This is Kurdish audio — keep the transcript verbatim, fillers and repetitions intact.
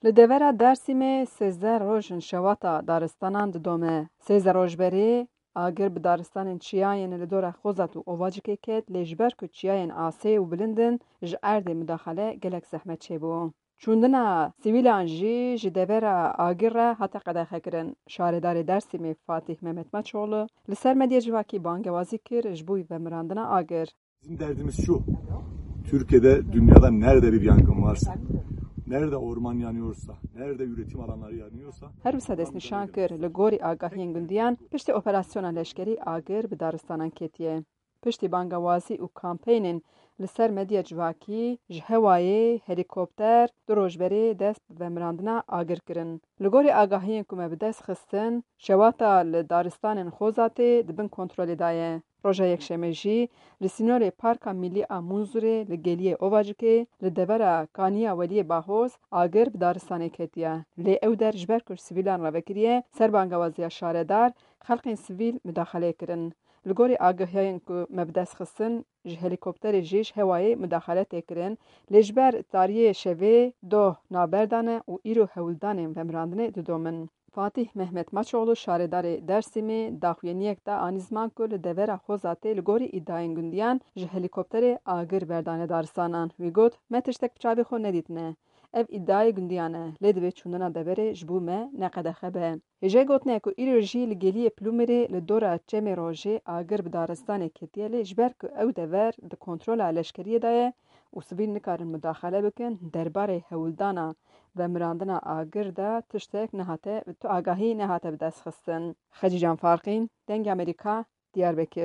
Li devera Dersîmê sêzdeh roj in şewata daristanan didome. Sêzdeh roj berê agir bi daristanên çiyayên li dora Xozat û Ovacikê ket, lê ji ber ku çiyayên asê û bilind in, ji erdê mudaxale gelek zehmet çêbû. Çûndina sivîlan jî ji devera agir re hate qedexekirin. Şaredarê Dersîmê Fatîh Mehmet Maçoğlu li ser medya civakî bangewazî kir ji bo vemirandina agir. Bizim derdimiz şu. Türkiye'de, dünyada nerede bir yangın varsa, nerede orman yanıyorsa, nerede üretim alanları yanıyorsa, Her wisa destnîşan kir, li gorî agahiyên gundiyan, piştî operasyona leşkerî agir bi daristanan ketiye. Piştî bangewazî û kampeynên li ser medya civakî, ji hewayê helîkopter du roj berê dest bi vemirandina agir kirin. Li gorî agahiyên ku me bi dest xistin, şewata li daristanên Xozatê di bin kontrolê de ye. Roja Yekşemê jî li sînorê Parka Milî a Munzurê li Geliyê Ovacikê, li devera Kaniya Weliyê Bahoz, agir bi daristanê ketiye. Lê ew der ji ber ku ji sivîlan re vekiriye, ser bangewaziya şaredar, xelkên sivîl mudaxaleyê kirin. Li gorî agahiyên ku me bi dest xistin, ji helîkopterê jî ji hewayê mudaxale tê kirin, lê ji ber tariyê şevê doh navber dane û îro hewldanên vemirandinê didomin. Fatîh Mehmet Maçoğlu, şaredarê Dersîmê, daxuyaniyek da anî ziman ku li devera Xozatê li gorî îdiayên gundiyan ji helîkopterê agir berdane daristanan. Wî got, Me tiştek bi çavê xwe nedîtine. Ev îdiayê gundiyan e, lê divê çûndina deverê ji bo me ne qedexe be. Hêjayî gotinê ye ku îro jî li Geliyê Plûmerê li dora Çemê Rojê agir bi daristanê ketiye, lê ji ber ku ew dever di kontrola leşkeriyê de ye û sivîl nikarin mudaxale bikin, derbarê hewldana vemirandina agir de tiştek nehate, tu agahî nehate bi dest xistin. Xecî Can Farqîn, Dengê Amerîka, Diyarbekir.